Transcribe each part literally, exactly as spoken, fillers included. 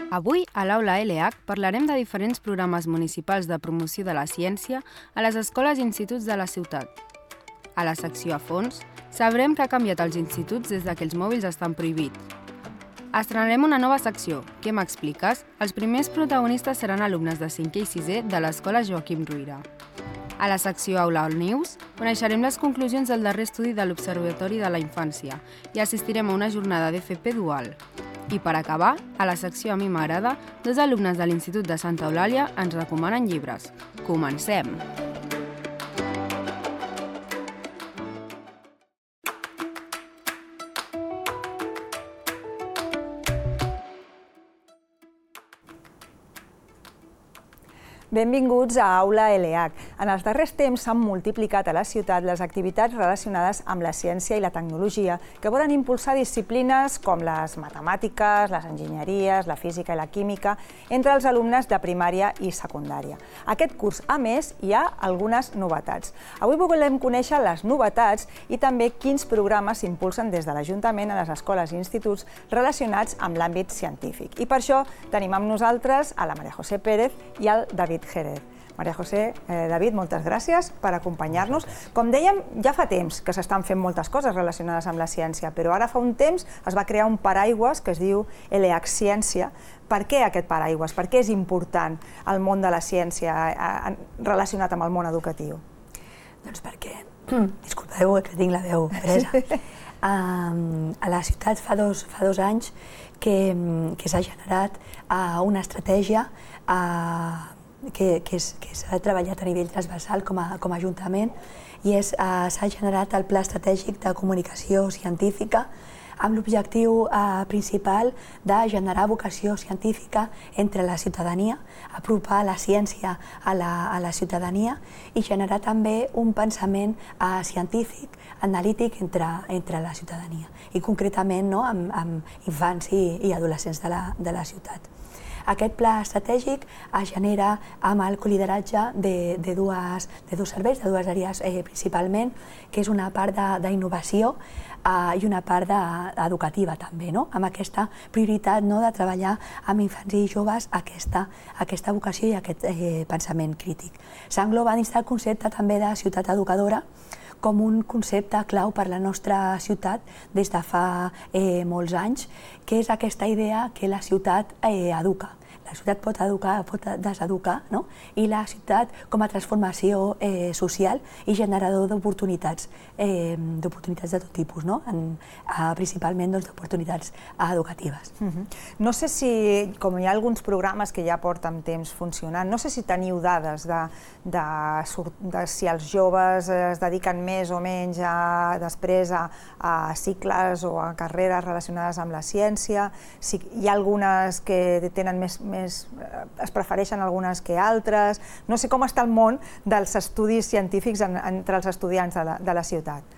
Avui, a l'Aula L H, parlarem de diferents programes municipals de promoció de la ciència a les escoles i instituts de la ciutat. A la secció a fons, sabrem què ha canviat als instituts des que els mòbils estan prohibits. Estrenarem una nova secció, Què m'expliques? Els primers protagonistes seran alumnes de cinquè i sisè de l'escola Joaquim Ruyra. A la secció Aula All News, coneixerem les conclusions del darrer estudi de l'Observatori de la Infància i assistirem a una jornada d'F P dual. I per acabar, a la secció A mi m'agrada, dos alumnes de l'Institut de Santa Eulàlia ens recomanen llibres. Comencem! Benvinguts a Aula L H. En els darrers temps s'han multiplicat a la ciutat les activitats relacionades amb la ciència i la tecnologia que volen impulsar disciplines com les matemàtiques, les enginyeries, la física i la química entre els alumnes de primària i secundària. Aquest curs, a més, hi ha algunes novetats. Avui volem conèixer les novetats i també quins programes s'impulsen des de l'Ajuntament a les escoles i instituts relacionats amb l'àmbit científic. I per això tenim amb nosaltres a la Maria José Pérez i al David Jerez. Maria José, eh, David, moltes gràcies per acompanyar-nos. Com dèiem, ja fa temps que s'estan fent moltes coses relacionades amb la ciència, però ara fa un temps es va crear un paraigües que es diu L H Ciència. Per què aquest paraigües? Per què és important el món de la ciència eh, relacionat amb el món educatiu? Doncs perquè, disculpeu que tinc la veu presa, uh, a la ciutat fa dos, fa dos anys que, que s'ha generat uh, una estratègia uh, que, que s'ha treballat a nivell transversal com a, com a Ajuntament i uh, s'ha generat el Pla Estratègic de Comunicació Científica amb l'objectiu eh, principal de generar vocació científica entre la ciutadania, apropar la ciència a la, a la ciutadania i generar també un pensament eh, científic, analític entre, entre la ciutadania i concretament no, amb, amb infants i, i adolescents de la, de la ciutat. Aquest pla estratègic es genera amb el colideratge de, de, dues, de dos serveis, de dues àrees eh, principalment, que és una part d'innovació eh, i una part de, educativa també, no? Amb aquesta prioritat no, de treballar amb infants i joves aquesta, aquesta vocació i aquest eh, pensament crític. S'engloba dins del concepte també de ciutat educadora com un concepte clau per la nostra ciutat des de fa eh, molts anys, que és aquesta idea que la ciutat eh, educa. La ciutat pot educar, pot deseducar, no? I la ciutat com a transformació eh, social i generador d'oportunitats, eh, d'oportunitats de tot tipus, no? En, eh, principalment doncs, d'oportunitats educatives. Uh-huh. No sé si, com hi ha alguns programes que ja porten temps funcionant, no sé si teniu dades de, de, de si els joves es dediquen més o menys a, després a, a cicles o a carreres relacionades amb la ciència, si hi ha algunes que tenen més, més es prefereixen algunes que altres. No sé com està el món dels estudis científics en, entre els estudiants de la, de la ciutat.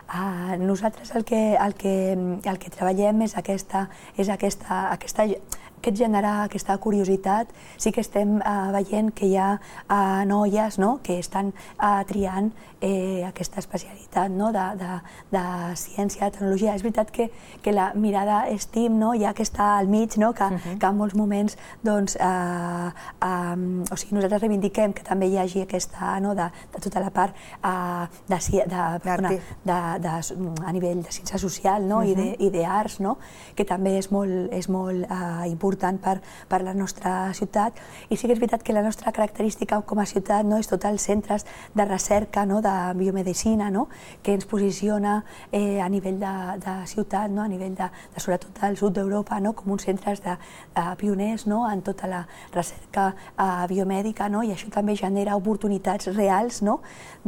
Uh, nosaltres el que, el, que, el que treballem és aquesta, és aquesta, aquesta aquest generar aquesta curiositat. Sí que estem uh, veient que hi ha uh, noies no? que estan uh, triant eh, aquesta especialitat no? de, de, de ciència, de tecnologia. És veritat que, que la mirada STEAM no? ja que està al mig, no? que, uh-huh. que en molts moments doncs, uh, um, o sigui, nosaltres reivindiquem que també hi hagi aquesta, no? de, de tota la part uh, de, de, perdona, de, de, a nivell de ciència social no? uh-huh. i d'arts, no? que també és molt, és molt uh, important important per, per la nostra ciutat. I sí que és veritat que la nostra característica com a ciutat no, és tots els centres de recerca no, de biomedicina no, que ens posiciona eh, a nivell de, de ciutat, no, a nivell de, de sobretot del sud d'Europa, no, com uns centres de, de pioners no, en tota la recerca eh, biomèdica no, i això també genera oportunitats reals no,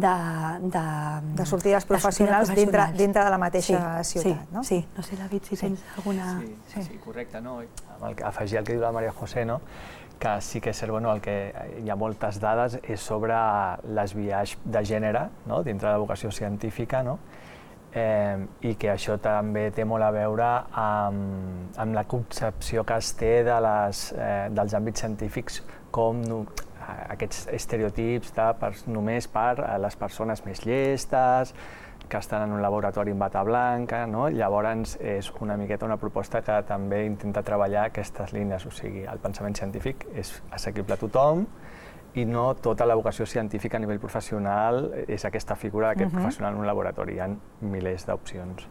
de, de, de sortides professionals, de sortides professionals. Dintre, dintre de la mateixa sí, ciutat. Sí, no? sí, no sé, David, si sí. tens alguna... Sí, sí, sí, correcte. No? Afegir el que diu la Maria José, no? que sí que és cert, bueno, el que hi ha moltes dades és sobre les biaix de gènere no? dintre de la vocació científica no? eh, i que això també té molt a veure amb, amb la concepció que es té de les, eh, dels àmbits científics com no, aquests estereotips de, per, només per a les persones més llestes, que estan en un laboratori amb bata blanca, no? Llavors és una miqueta una proposta que també intenta treballar aquestes línies, o sigui, el pensament científic és assequible a tothom i no tota la vocació científica a nivell professional és aquesta figura d'aquest uh-huh. professional en un laboratori, hi ha milers d'opcions.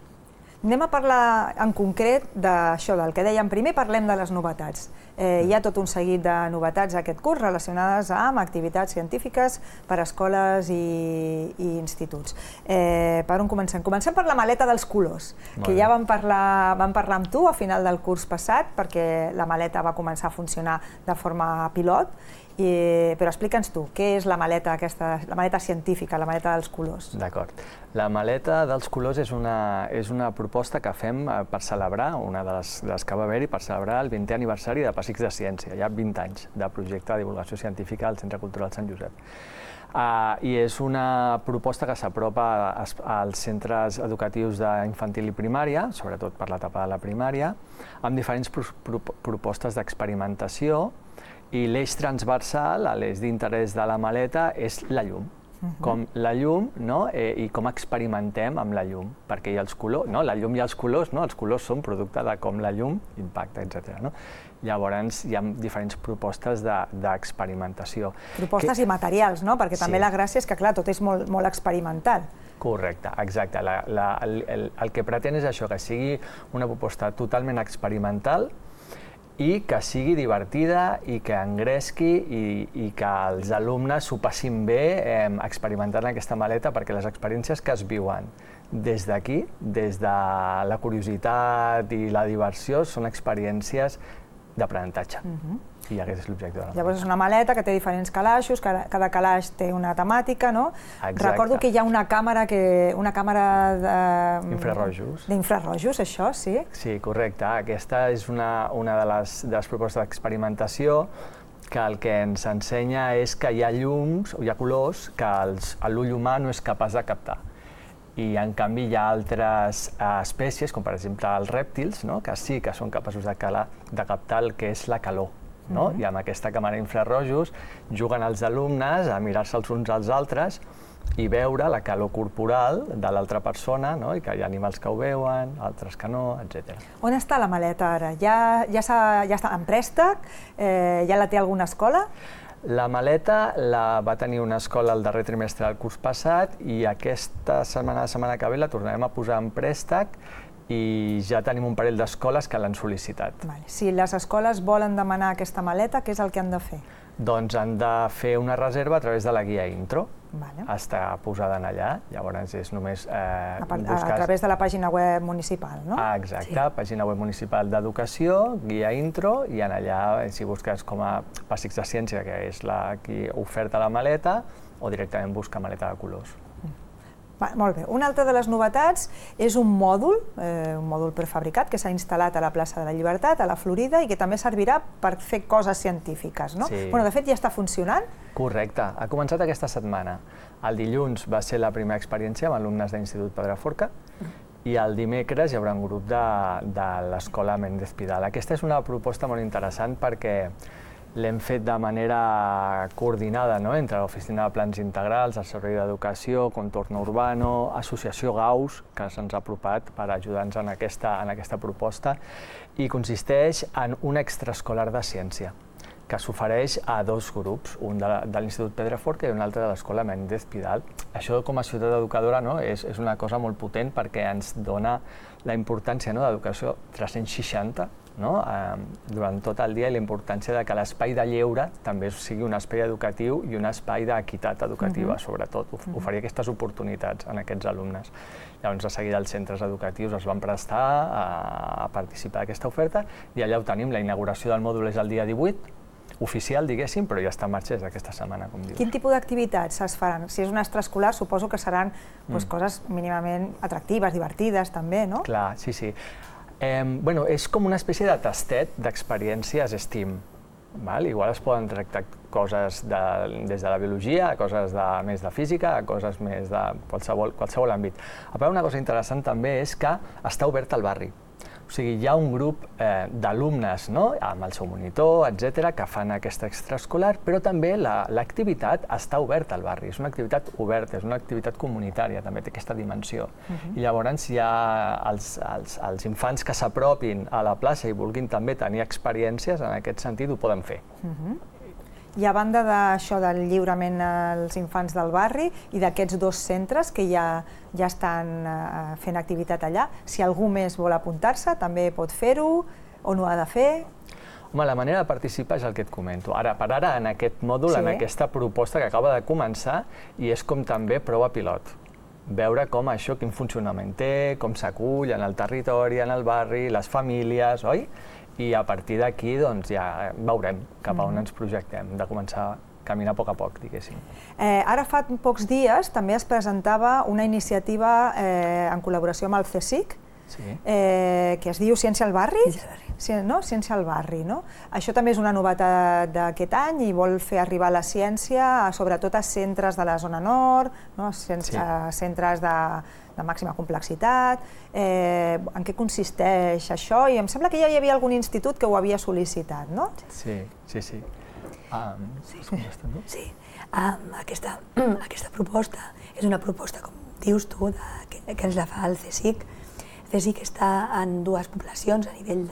Anem a parlar en concret d'això, del que dèiem primer, parlem de les novetats. Eh, hi ha tot un seguit de novetats aquest curs relacionades amb activitats científiques per a escoles i, i instituts. Eh, per on comencem? Comencem per la maleta dels colors, que ja vam parlar, vam parlar amb tu a final del curs passat, perquè la maleta va començar a funcionar de forma pilot, I, però explica'ns tu, què és la maleta, aquesta, la maleta científica, la maleta dels colors? D'acord. La maleta dels colors és una, és una proposta que fem per celebrar, una de les, de les que va haver-hi, per celebrar el vintè aniversari de Pessics de Ciència. Hi ha vint anys de projecte de divulgació científica al Centre Cultural Sant Josep. Uh, I és una proposta que s'apropa als centres educatius d'infantil i primària, sobretot per l'etapa de la primària, amb diferents pro pro propostes d'experimentació, i l'eix transversal, l'eix d'interès de la maleta, és la llum. Uh-huh. Com la llum, no? eh, i com experimentem amb la llum, perquè hi ha els colors, no? La llum i els colors, no? Els colors són producte de com la llum impacta, etcètera. No? Llavors hi ha diferents propostes d'experimentació. De, propostes que... i materials, no? Perquè també sí. La gràcia és que, clar, tot és molt, molt experimental. Correcte, exacte. La, la, el, el, el que pretén és això, que sigui una proposta totalment experimental, i que sigui divertida i que engresqui i, i que els alumnes s'ho passin bé eh, experimentant aquesta maleta, perquè les experiències que es viuen des d'aquí, des de la curiositat i la diversió, són experiències d'aprenentatge. Uh-huh. I aquest és l'objecte de la maleta. Llavors és una maleta que té diferents calaixos, cada, cada calaix té una temàtica, no? Exacte. Recordo que hi ha una càmera que una càmera de... Infrarrojos. D'infrarrojos, això, sí? Sí, correcte. Aquesta és una, una de, les, de les propostes d'experimentació que el que ens ensenya és que hi ha llums, o hi ha colors, que l'ull humà no és capaç de captar. I, en canvi, hi ha altres uh, espècies, com per exemple els rèptils, no? Que sí que són capaços de, calar, de captar el que és la calor. No? Uh-huh. I amb aquesta càmera infrarrojos juguen els alumnes a mirar-se els uns als altres i veure la calor corporal de l'altra persona, no? I que hi ha animals que ho veuen, altres que no, etcètera. On està la maleta ara? Ja, ja, ja està en préstec? Eh, ja la té alguna escola? La maleta la va tenir una escola el darrer trimestre del curs passat i aquesta setmana, la setmana que ve, la tornarem a posar en préstec i ja tenim un parell d'escoles que l'han sol·licitat. Vale. Si les escoles volen demanar aquesta maleta, què és el que han de fer? Doncs han de fer una reserva a través de la guia intro. Vale. Està posada en allà, llavors és només... Eh, a, busques... a través de la pàgina web municipal, no? Ah, exacte, sí. Pàgina web municipal d'educació, guia intro, i en allà, si busques com a Pessics de Ciència, que és la qui oferta la maleta, o directament busca maleta de colors. Va, molt bé. Una altra de les novetats és un mòdul, eh, un mòdul prefabricat que s'ha instal·lat a la plaça de la Llibertat, a la Florida, i que també servirà per fer coses científiques, no? Sí. Bueno, de fet, ja està funcionant? Correcte. Ha començat aquesta setmana. El dilluns va ser la primera experiència amb alumnes de l'Institut Pedraforca i el dimecres hi haurà un grup de, de l'Escola Méndez Pidal. Aquesta és una proposta molt interessant perquè l'hem fet de manera coordinada, no? Entre l'Oficina de Plans Integrals, el Servei d'Educació, Contorno Urbano, Associació Gauss, que se'ns ha apropat per ajudar-nos en aquesta, en aquesta proposta, i consisteix en un extraescolar de ciència, que s'ofereix a dos grups, un de, de l'Institut Pedraforca i un altre de l'Escola Méndez Pidal. Això, com a ciutat educadora, no? és, és una cosa molt potent perquè ens dona la importància, no? d'educació tres-cents seixanta, no? eh, durant tot el dia, i la importància de que l'espai de lleure també sigui un espai educatiu i un espai d'equitat educativa, uh-huh. sobretot, of oferir aquestes oportunitats en aquests alumnes. Llavors, de seguida, els centres educatius es van prestar a, a participar d'aquesta oferta i allà ho tenim. La inauguració del mòdul és el dia divuit, oficial, diguéssim, però ja està en marxa des d'aquesta setmana, com dius. Quin tipus d'activitats es faran? Si és un extraescolar, suposo que seran doncs, mm. coses mínimament atractives, divertides, també, no? Clar, sí, sí. Eh, bueno, és com una espècie de tastet d'experiències STEAM. Val? Igual es poden tractar coses de, des de la biologia, coses de, més de física, coses més de qualsevol, qualsevol àmbit. A part, una cosa interessant també és que està obert al barri. O sigui, hi ha un grup eh, d'alumnes, no?, amb el seu monitor, etcètera, que fan aquesta extraescolar, però també l'activitat està oberta al barri, és una activitat oberta, és una activitat comunitària, també té aquesta dimensió. Uh-huh. I llavors hi ha els, els, els infants que s'apropin a la plaça i vulguin també tenir experiències, en aquest sentit ho poden fer. Uh-huh. I a banda d'això del lliurament als infants del barri i d'aquests dos centres que ja, ja estan uh, fent activitat allà, si algú més vol apuntar-se també pot fer-ho o no ha de fer? Home, la manera de participar és el que et comento. Ara per ara, en aquest mòdul, sí. en aquesta proposta que acaba de començar, i és com també prova pilot. Veure com això, quin funcionament té, com s'acull en el territori, en el barri, les famílies, oi? I a partir d'aquí doncs, ja veurem cap a on ens projectem, de començar a caminar a poc a poc, diguéssim. Eh, ara fa pocs dies també es presentava una iniciativa eh, en col·laboració amb el CSIC, sí. eh, que es diu Ciència al barri, Ciència, no? Ciència al barri. No? Això també és una novetat d'aquest any i vol fer arribar la ciència sobretot a centres de la zona nord, no? Centres, sí. centres de, de màxima complexitat. Eh, en què consisteix això? I em sembla que ja hi havia algun institut que ho havia sol·licitat, no? Sí, sí, sí. Um, sí, sí. Um, aquesta, aquesta proposta és una proposta, com dius tu, de, que, que ens la fa el CSIC. El CSIC està en dues poblacions a nivell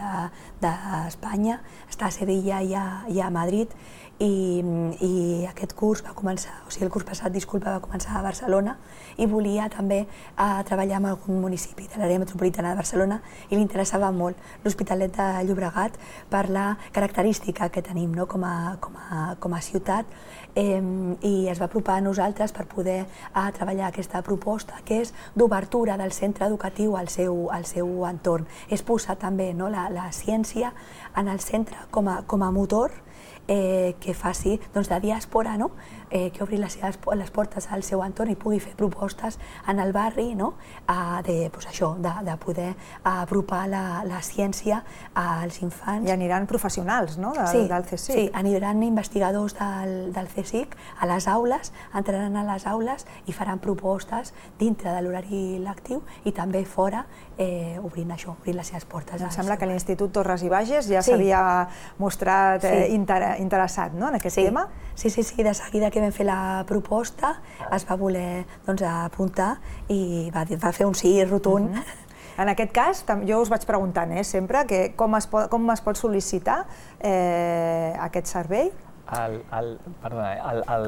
d'Espanya, de, està a Sevilla i a, i a Madrid, i, i aquest curs va començar, o sigui, el curs passat, disculpa, va començar a Barcelona i volia també a treballar amb algun municipi de l'àrea metropolitana de Barcelona i li interessava molt l'Hospitalet de Llobregat per la característica que tenim, no? com, a, com, a, com a ciutat, eh, i es va apropar a nosaltres per poder a treballar aquesta proposta que és d'obertura del centre educatiu al seu, al seu entorn. És posar també, no? la, la ciència en el centre com a, com a motor Eh, que faci doncs, de diàspora, no? eh, que obri les, les portes al seu entorn i pugui fer propostes en el barri, no? a, de, pues això, de, de poder apropar la, la ciència als infants. I aniran professionals, no? Del, sí, del CSIC. Sí, aniran investigadors del, del CSIC a les aules, entraran a les aules i faran propostes dintre de l'horari lectiu i també fora, eh, obrint això, obrint les seves portes. Em sembla que l'Institut Torres i Bages ja s'havia sí. mostrat eh, sí. inter interessat, no? en aquest sí. tema. Sí, sí, sí, de seguida que vam fer la proposta es va voler doncs, apuntar i va, va fer un sí rotund. Uh-huh. En aquest cas, jo us vaig preguntant eh, sempre que com, es pot, com es pot sol·licitar eh, aquest servei? El, el, perdona, el, el,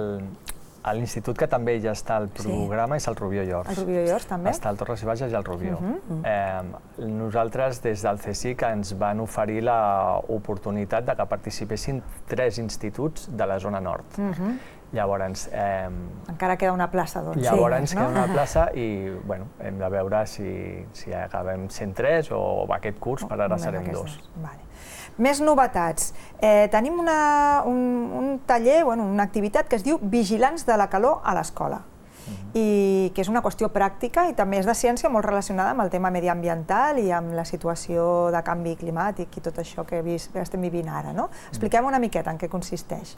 l'institut que també ja està al programa sí. és el Rubió i Ors. El Rubió i Ors també? Està el Torres i Bages i el Rubió. Uh-huh. eh, nosaltres des del CSIC ens van oferir l'oportunitat de que participessin tres instituts de la zona nord. Uh-huh. Llavors... Eh, encara queda una plaça, doncs. Llavors sí, queda no? una plaça i bueno, hem de veure si, si acabem sent tres o aquest curs, per ara serem dos. Vale. Més novetats. Eh, tenim una, un, un taller, bueno, una activitat que es diu Vigilants de la calor a l'escola, uh-huh. i que és una qüestió pràctica i també és de ciència molt relacionada amb el tema mediambiental i amb la situació de canvi climàtic i tot això que, vis, que estem vivint ara. No? Expliquem una miqueta en què consisteix.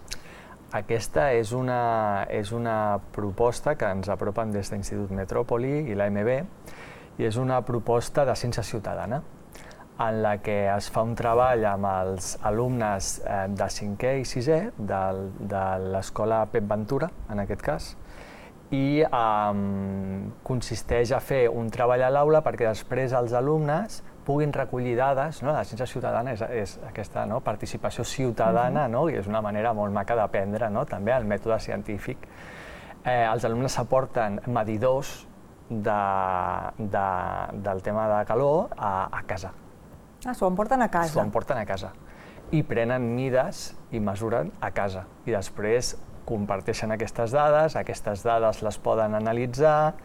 Aquesta és una, és una proposta que ens apropen des de l'Institut Metròpoli i l'A M B i és una proposta de ciència ciutadana en la que es fa un treball amb els alumnes eh, de cinquè i sisè de, de l'escola Pep Ventura, en aquest cas, i eh, consisteix a fer un treball a l'aula perquè després els alumnes puguin recollir dades, no? La ciència ciutadana és, és aquesta no? participació ciutadana, no? I és una manera molt maca d'aprendre, no? També el mètode científic. Eh, els alumnes s'aporten medidors de, de, del tema de calor a, a casa. Ah, s'ho emporten a casa. S'ho emporten a casa. I prenen mides i mesuren a casa. I després comparteixen aquestes dades, aquestes dades les poden analitzar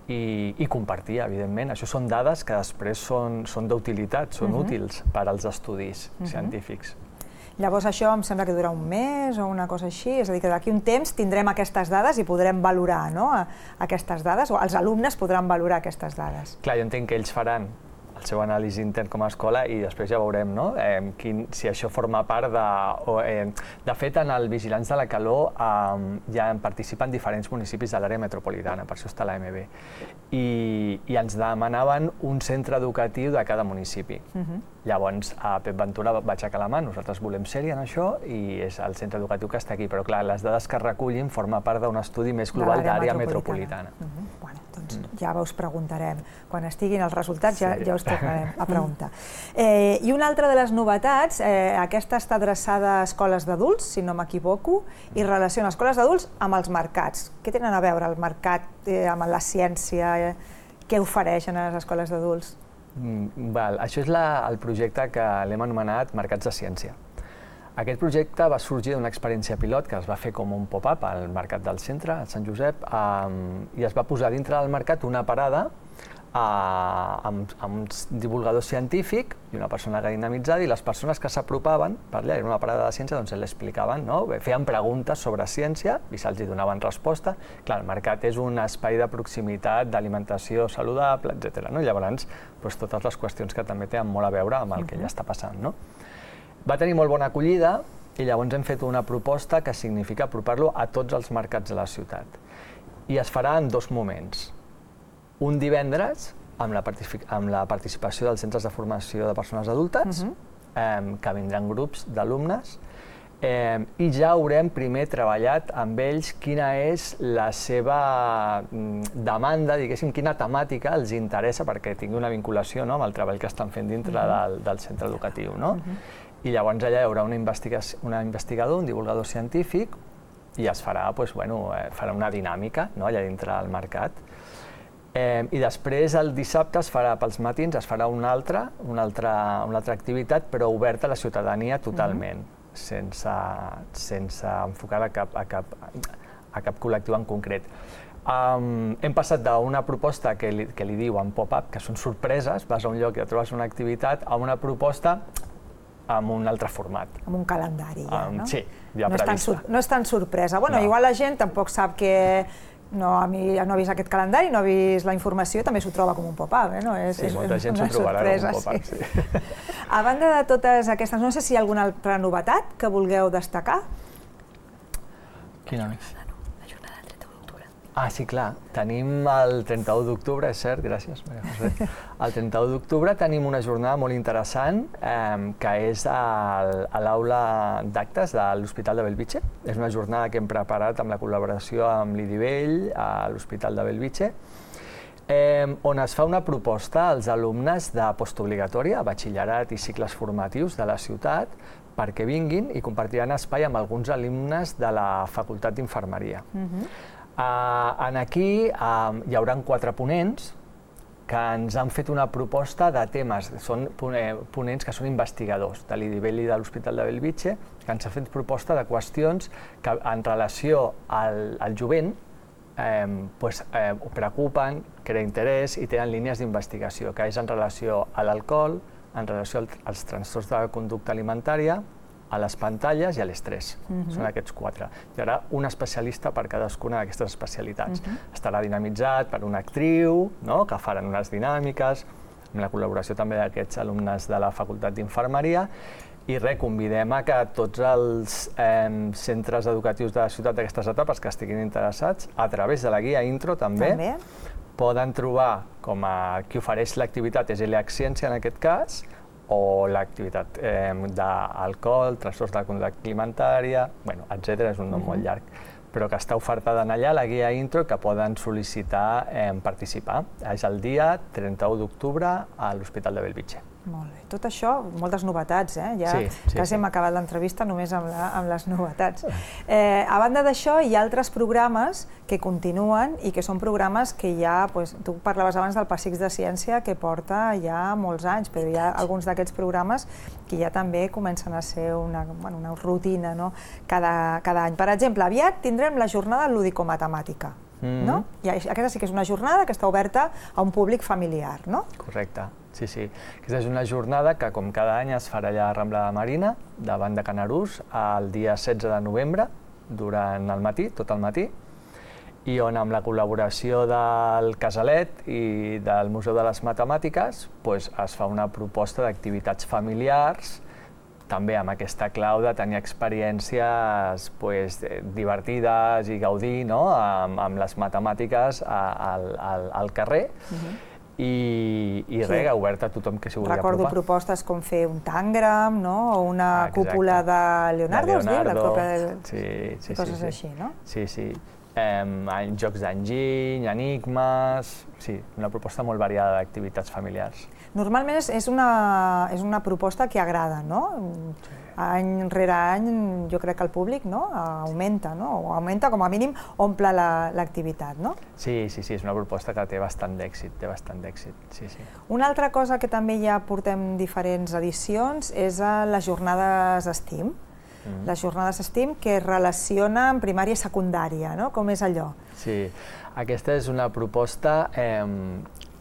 i, i compartir, evidentment. Això són dades que després són, són d'utilitat, són uh-huh. útils per als estudis uh-huh. científics. Llavors això em sembla que dura un mes o una cosa així, és a dir, que d'aquí un temps tindrem aquestes dades i podrem valorar no? aquestes dades, o els alumnes podran valorar aquestes dades. Clar, jo entenc que ells faran el seu anàlisi intern com a escola i després ja veurem, no? eh, quin, si això forma part de... O, eh, de fet, en el Vigilants de la Calor eh, ja participen diferents municipis de l'àrea metropolitana, per això està l'A M B. I, I ens demanaven un centre educatiu de cada municipi. Uh-huh. Llavors, a Pep Ventura va aixecar la mà, nosaltres volem ser-hi en això i és el centre educatiu que està aquí, però clar, les dades que recullin forma part d'un estudi més global d'àrea metropolitana. Uh -huh. Bueno, doncs mm. ja us preguntarem. Quan estiguin els resultats ja, sí. ja us tornarem a preguntar. Eh, I una altra de les novetats, eh, aquesta està adreçada a escoles d'adults, si no m'equivoco, i relaciona escoles d'adults amb els mercats. Què tenen a veure el mercat eh, amb la ciència? Eh, què ofereixen a les escoles d'adults? Mm, val. Això és la, el projecte que l'hem anomenat Mercats de Ciència. Aquest projecte va sorgir d'una experiència pilot que es va fer com un pop-up al Mercat del Centre, a Sant Josep, um, i es va posar dintre del mercat una parada uh, amb, amb un divulgador científic i una persona que dinamitzada, i les persones que s'apropaven per allà, era una parada de ciència, doncs l'explicaven, no? Feien preguntes sobre ciència i se'ls donaven resposta. Clar, el mercat és un espai de proximitat, d'alimentació saludable, etcètera. No? Llavors, doncs, totes les qüestions que també tenen molt a veure amb el que ja està passant. No? Va tenir molt bona acollida i llavors hem fet una proposta que significa apropar-lo a tots els mercats de la ciutat. I es farà en dos moments. Un divendres, amb la, amb la participació dels centres de formació de persones adultes, uh-huh. eh, que vindran grups d'alumnes, eh, i ja haurem primer treballat amb ells quina és la seva demanda, diguéssim, quina temàtica els interessa perquè tingui una vinculació, no?, amb el treball que estan fent dintre uh-huh. del, del centre educatiu. No? Uh-huh. I llavors allà hi haurà una una investigador, un divulgador científic, i es farà, doncs, bueno, eh, farà una dinàmica, no?, allà dintre del mercat. Eh, I després, el dissabte, es farà pels matins, es farà una altra, una altra, una altra activitat, però oberta a la ciutadania totalment, uh-huh. sense, sense enfocar a cap, a, cap, a cap col·lectiu en concret. Um, hem passat d'una proposta que li, que li diuen pop-up, que són sorpreses, vas a un lloc i et trobes una activitat, a una proposta amb un altre format. Amb un calendari, ja, um, no? Sí, ja no prevista. És tan, no és tan sorpresa. Bueno, no. Igual la gent tampoc sap que no, a mi, no ha vist aquest calendari, no ha vist la informació, també s'ho troba com un pop-up, eh? No? És, sí, és molta gent s'ho trobarà com un pop-up, sí. sí. A banda de totes aquestes, no sé si hi ha alguna altra novetat que vulgueu destacar? Quina més? La jornada del trenta-u d'octubre. Ah, sí, clar. Tenim el trenta-u d'octubre, és cert, gràcies, Maria José. El trenta-u d'octubre tenim una jornada molt interessant eh, que és el, a l'aula d'actes de l'Hospital de Bellvitge. És una jornada que hem preparat amb la col·laboració amb l'Idivell a l'Hospital de Bellvitge, eh, on es fa una proposta als alumnes de postobligatòria, batxillerat i cicles formatius de la ciutat, perquè vinguin i compartiran espai amb alguns alumnes de la Facultat d'Infermeria. Uh-huh. Uh, en aquí uh, hi haurà quatre ponents que ens han fet una proposta de temes, són ponents que són investigadors de l'Idivell i de l'Hospital de Bellvitge, que ens han fet proposta de qüestions que en relació al, al jovent eh, pues, eh, preocupen, creen interès i tenen línies d'investigació, que és en relació a l'alcohol, en relació als trastorns de la conducta alimentària, a les pantalles i a l'estrès. Uh-huh. Són aquests quatre. Hi haurà un especialista per cadascuna d'aquestes especialitats. Uh-huh. Estarà dinamitzat per una actriu, no?, que faran unes dinàmiques, amb la col·laboració també d'aquests alumnes de la Facultat d'Infermeria, i res, convidem a que tots els eh, centres educatius de la ciutat d'aquestes etapes que estiguin interessats, a través de la guia Intro també, també. poden trobar com a qui ofereix l'activitat és l'E A C Ciència en aquest cas, o l'activitat eh, d'alcohol, trastorns de la conducta alimentària, bueno, etcètera, és un nom uh-huh. molt llarg, però que està ofertada allà, la guia Intro, que poden sol·licitar eh, participar. És el dia trenta-u d'octubre a l'Hospital de Bellvitge. Molt bé. Tot això, moltes novetats, eh? Ja sí, sí, quasi sí. hem acabat l'entrevista només amb, la, amb les novetats. Eh, a banda d'això, hi ha altres programes que continuen i que són programes que ja, pues, tu parlaves abans del Passeig de Ciència, que porta ja molts anys, però hi ha alguns d'aquests programes que ja també comencen a ser una, bueno, una rutina, no?, cada, cada any. Per exemple, aviat tindrem la jornada lúdico-matemàtica. Mm-hmm. No? I aquesta sí que és una jornada que està oberta a un públic familiar, no? Correcte, sí, sí. Aquesta és una jornada que, com cada any, es farà allà a Rambla de Marina, davant de Canarús, el dia setze de novembre, durant el matí, tot el matí. i on amb la col·laboració del Casalet i del Museu de les Matemàtiques doncs, es fa una proposta d'activitats familiars, també amb aquesta clau de tenir experiències pues, divertides i gaudir no? amb, amb les matemàtiques al, al, al carrer. Uh-huh. I, i sí. res, obert a tothom que s'hi vulgui Recordo apropar. propostes com fer un tàngram, no? O una ah, cúpula de Leonardo, de Leonardo. La còpia de... Sí, sí, coses sí, sí. així, no? Sí, sí. Eh, jocs d'enginy, enigmes... Sí, una proposta molt variada d'activitats familiars. Normalment és, és, una, és una proposta que agrada, no? Sí. Any rere any jo crec que el públic no? augmenta, no? O augmenta, com a mínim, omple l'activitat, no? Sí, sí, sí, és una proposta que té bastant d'èxit, té bastant d'èxit, sí, sí. Una altra cosa que també ja portem diferents edicions és a les jornades STEAM. Mm. Les jornades STEAM que es relacionen primària i secundària, no? Com és allò? Sí, aquesta és una proposta, eh,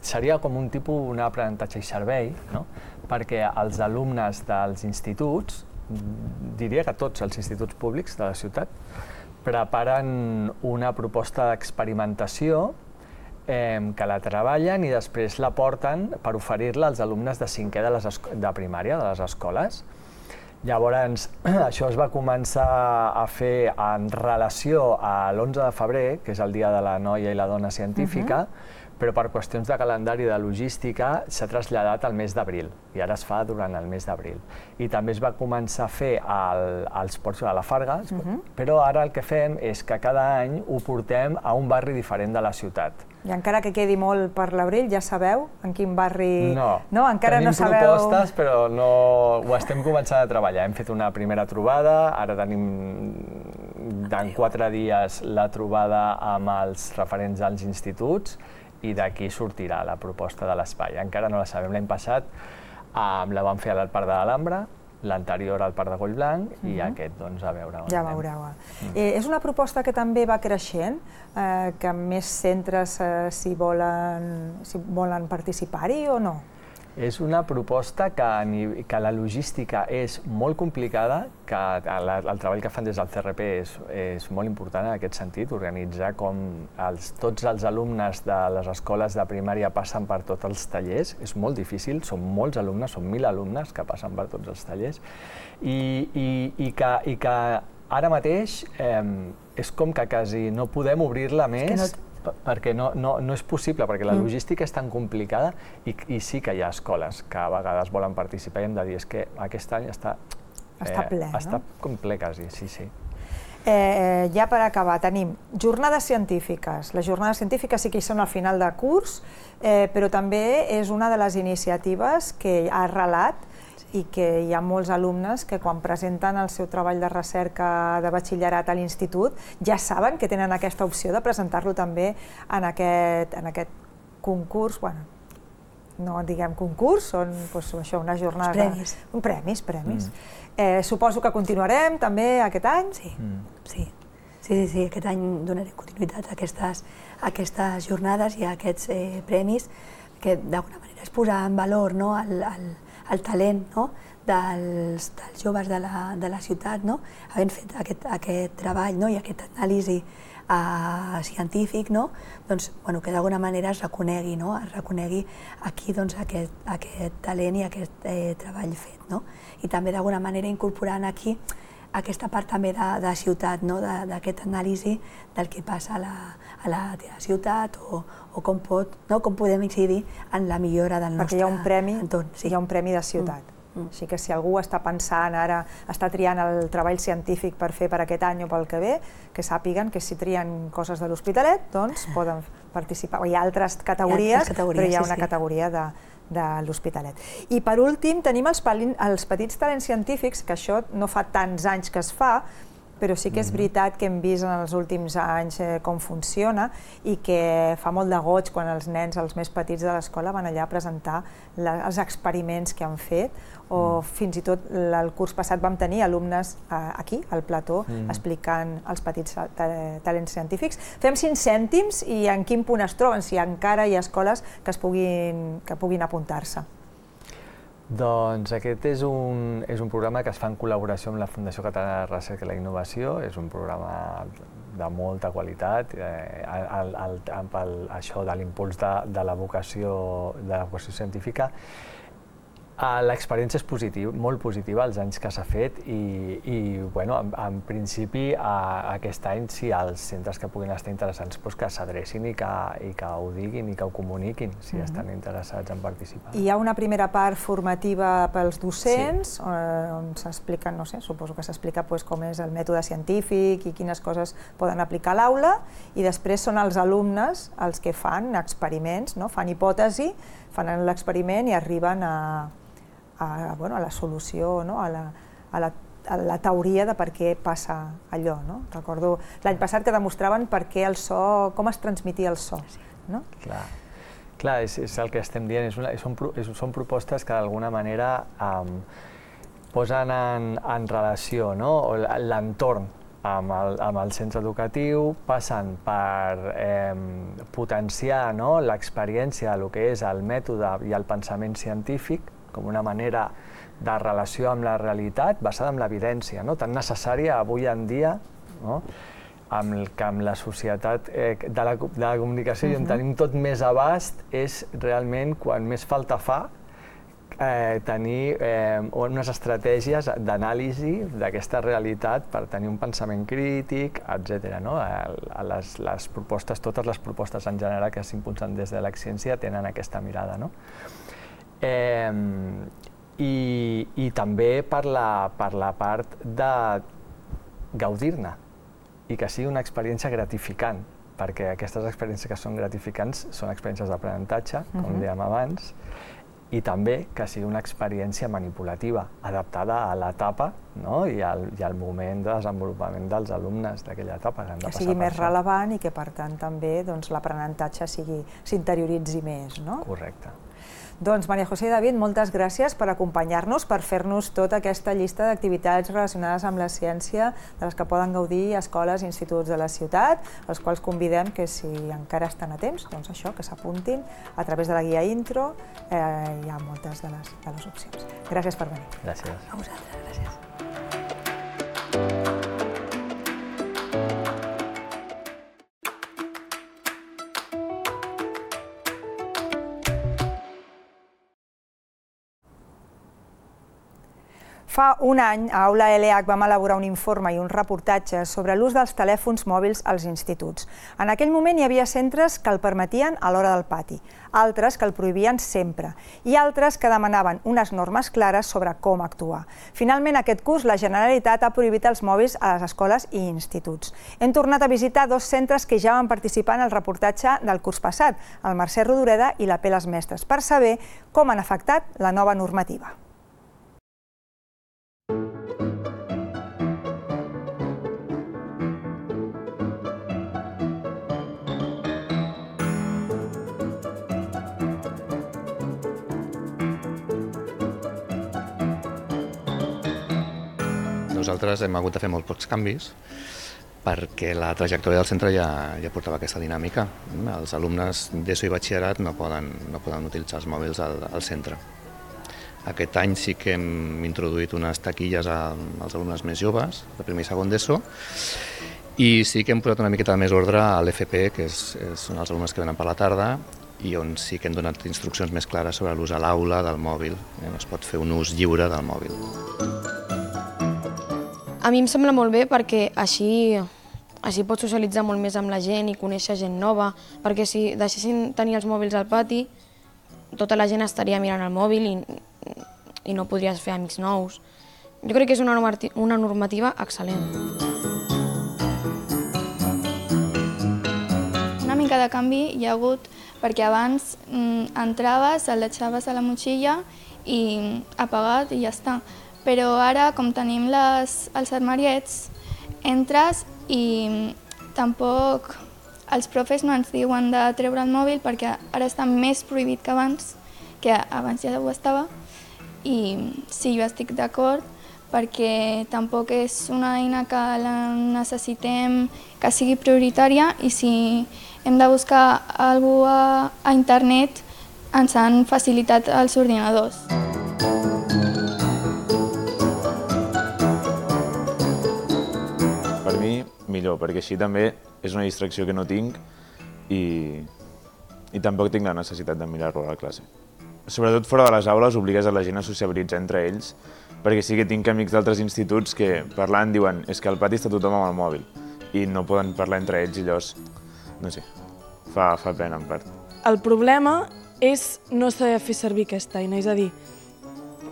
seria com un tipus un aprenentatge i servei, no? Perquè els alumnes dels instituts, diria que tots els instituts públics de la ciutat, preparen una proposta d'experimentació eh, que la treballen i després la porten per oferir-la als alumnes de cinquè de, les de primària, de les escoles. Llavors, això es va començar a fer en relació a l'onze de febrer, que és el Dia de la Noia i la Dona Científica, uh-huh. però per qüestions de calendari i de logística s'ha traslladat al mes d'abril, i ara es fa durant el mes d'abril. I també es va començar a fer al, als ports de la Farga, uh-huh. però ara el que fem és que cada any ho portem a un barri diferent de la ciutat. I encara que quedi molt per l'abril, ja sabeu en quin barri... No, no encara tenim no sabeu... propostes, però no ho estem començant a treballar. Hem fet una primera trobada, ara tenim en quatre dies la trobada amb els referents als instituts, i d'aquí sortirà la proposta de l'espai. Encara no la sabem. L'any passat um, la vam fer a l'Parc de l'Alhambra, l'anterior al Parc de Collblanc, uh-huh. i aquest, doncs, a veure on ja anem. veureu. Mm. Eh, és una proposta que també va creixent, eh, que més centres eh, si volen, si volen participar-hi o no? És una proposta que, que la logística és molt complicada, que el, el treball que fan des del C R P és, és molt important en aquest sentit, organitzar com els, tots els alumnes de les escoles de primària passen per tots els tallers, és molt difícil, són molts alumnes, són mil alumnes que passen per tots els tallers, i, i, i, que, i que ara mateix eh, és com que quasi no podem obrir-la més, perquè no, no, no és possible, perquè la logística és tan complicada i, i sí que hi ha escoles que a vegades volen participar i hem de dir és que aquest any està, està eh, ple, està no? com ple quasi, sí, sí. Eh, ja per acabar, tenim jornades científiques. Les jornades científiques sí que hi són al final de curs, eh, però també és una de les iniciatives que ha arrelat i que hi ha molts alumnes que quan presenten el seu treball de recerca de batxillerat a l'institut ja saben que tenen aquesta opció de presentar-lo també en aquest, en aquest concurs, bueno, no diguem concurs, són doncs, això, unes jornades... Premis. De, premis, premis. Mm. Eh, suposo que continuarem també aquest any? Sí, mm. sí. Sí, sí, sí, aquest any donarem continuïtat a aquestes, a aquestes jornades i a aquests eh, premis que d'alguna manera es posa en valor, no, el, el, el talent, no, dels, dels joves de la, de la ciutat, no, havent fet aquest, aquest treball, no, i aquesta anàlisi uh, científic, no, doncs, bueno, que d'alguna manera es reconegui, no, es reconegui aquí doncs, aquest, aquest talent i aquest eh, treball fet, no, i també d'alguna manera incorporant aquí aquesta part també de, de ciutat, no, d'aquesta anàlisi del que passa a la, a la teva ciutat o, o com, pot, no, com podem incidir en la millora del nostre entorn. Perquè hi ha un premi, entorn, sí. Hi ha un premi de ciutat. Mm. Mm. Així que si algú està pensant ara, està triant el treball científic per fer per aquest any o pel que ve, que sàpiguen que si trien coses de l'Hospitalet, doncs poden participar. Hi ha altres categories, hi ha altres categories però hi ha una sí, sí. categoria de, de l'Hospitalet. I per últim tenim els, els petits talents científics, que això no fa tants anys que es fa, però sí que és veritat que hem vist en els últims anys eh, com funciona i que fa molt de goig quan els nens, els més petits de l'escola, van allà a presentar la, els experiments que han fet, o mm. fins i tot el curs passat vam tenir alumnes eh, aquí, al plató, mm. explicant els petits ta talents científics. Fem cinc cèntims i en quin punt es troben, si encara hi ha escoles que, es puguin, que puguin apuntar-se. Doncs aquest és un, és un programa que es fa en col·laboració amb la Fundació Catalana de Recerca i la Innovació. És un programa de molta qualitat, eh, el, el, amb el, això de l'impuls de, de la vocació, de la vocació científica. L'experiència és positiva, molt positiva els anys que s'ha fet i, i bueno, en, en principi a, aquest any si els centres que puguin estar interessants doncs que s'adrecin i, que, i que ho diguin i que ho comuniquin si mm-hmm. estan interessats en participar. Hi ha una primera part formativa pels docents, sí. on s'expliquen, no sé, suposo que s'explica pues, com és el mètode científic i quines coses poden aplicar a l'aula, i després són els alumnes els que fan experiments, no? Fan hipòtesi, fan l'experiment i arriben a A, bueno, a la solució, no? a, la, a, la, a la teoria de per què passa allò. No? Recordo l'any passat que demostraven per què el so, com es transmetia el so. No? Clar, Clar és, és el que estem dient, és una, són, és, són propostes que d'alguna manera um, posen en, en relació, no? l'entorn amb el, amb el centre educatiu, passen per eh, potenciar, no? l'experiència del que és el mètode i el pensament científic, com una manera de relació amb la realitat basada en l'evidència, no? tan necessària avui en dia, no? amb el que amb la societat eh, de, la, de la comunicació uh-huh. i on tenim tot més abast, és realment quan més falta fa eh, tenir eh, unes estratègies d'anàlisi d'aquesta realitat per tenir un pensament crític, etcètera. No? Les, les propostes, totes les propostes en general que s'impulsen des de la ciència tenen aquesta mirada. No? Eh, i, i també per la, per la part de gaudir-ne i que sigui una experiència gratificant, perquè aquestes experiències que són gratificants són experiències d'aprenentatge, com uh-huh. dèiem abans, i també que sigui una experiència manipulativa, adaptada a l'etapa, no? I, al, i al moment de desenvolupament dels alumnes d'aquella etapa. Que, que sigui més relevant i que per tant també doncs, l'aprenentatge s'interioritzi més. No? Correcte. Doncs Maria José i David, moltes gràcies per acompanyar-nos, per fer-nos tota aquesta llista d'activitats relacionades amb la ciència de les que poden gaudir escoles i instituts de la ciutat, els quals convidem que si encara estan a temps, doncs això, que s'apuntin a través de la guia intro, eh, hi ha moltes de les, de les opcions. Gràcies per venir. Gràcies. A vosaltres, gràcies. Fa un any, a Aula L H vam elaborar un informe i un reportatge sobre l'ús dels telèfons mòbils als instituts. En aquell moment hi havia centres que el permetien a l'hora del pati, altres que el prohibien sempre i altres que demanaven unes normes clares sobre com actuar. Finalment, aquest curs, la Generalitat ha prohibit els mòbils a les escoles i instituts. Hem tornat a visitar dos centres que ja van participar en el reportatge del curs passat, el Mercè Rodoreda i la P Les Mestres, per saber com han afectat la nova normativa. Nosaltres hem hagut de fer molt pocs canvis perquè la trajectòria del centre ja, ja portava aquesta dinàmica. Els alumnes d'ESO i batxillerat no poden, no poden utilitzar els mòbils al, al centre. Aquest any sí que hem introduït unes taquilles als alumnes més joves, de primer i segon d'ESO, i sí que hem posat una miqueta més ordre a l'F P, que és, són els alumnes que venen per la tarda, i on sí que hem donat instruccions més clares sobre l'ús a l'aula del mòbil. Es pot fer un ús lliure del mòbil. A mi em sembla molt bé perquè així, així pots socialitzar molt més amb la gent i conèixer gent nova, perquè si deixessin tenir els mòbils al pati, tota la gent estaria mirant el mòbil i, i no podries fer amics nous. Jo crec que és una normativa, una normativa excel·lent. Una mica de canvi hi ha hagut perquè abans mm, entraves, el deixaves a la motxilla i apagat i ja està. Però ara, com tenim les, els armariets, entres i tampoc els profes no ens diuen de treure el mòbil perquè ara està més prohibit que abans, que abans ja ho estava. I sí, jo estic d'acord perquè tampoc és una eina que la necessitem que sigui prioritària i si hem de buscar alguna cosa a internet ens han facilitat els ordinadors. millor, perquè així també és una distracció que no tinc i, i tampoc tinc la necessitat de mirar-lo a la classe. Sobretot fora de les aules obligues a la gent a sociabilitzar entre ells, perquè sí que tinc amics d'altres instituts que parlant diuen és que al pati està tothom amb el mòbil i no poden parlar entre ells i llavors, no sé, fa, fa pena en part. El problema és no saber fer servir aquesta eina, és a dir,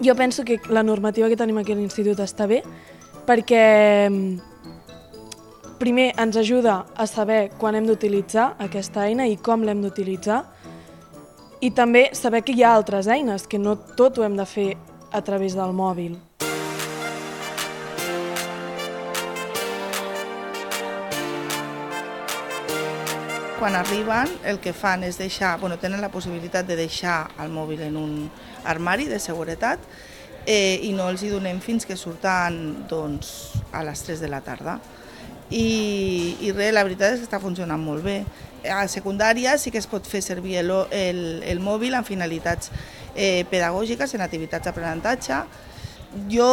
jo penso que la normativa que tenim aquí a l'institut està bé perquè primer ens ajuda a saber quan hem d'utilitzar aquesta eina i com l'hem d'utilitzar i també saber que hi ha altres eines, que no tot ho hem de fer a través del mòbil. Quan arriben, el que fan és deixar, bueno, tenen la possibilitat de deixar el mòbil en un armari de seguretat eh, i no els hi donem fins que surten doncs, a les tres de la tarda. I, i res, la veritat és que està funcionant molt bé. A secundària sí que es pot fer servir el, el, el mòbil en finalitats eh, pedagògiques, en activitats d'aprenentatge. Jo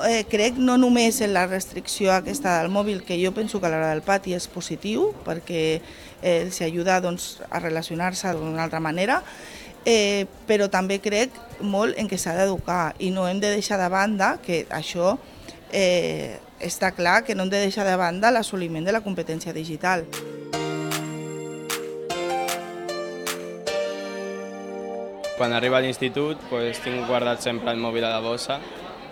eh, crec no només en la restricció aquesta del mòbil, que jo penso que a l'hora del pati és positiu, perquè eh, els ajuda doncs, a relacionar-se d'una altra manera, eh, però també crec molt en què s'ha d'educar i no hem de deixar de banda que això eh, està clar que no hem de deixar de banda l'assoliment de la competència digital. Quan arribo a l'institut doncs, tinc guardat sempre el mòbil a la bossa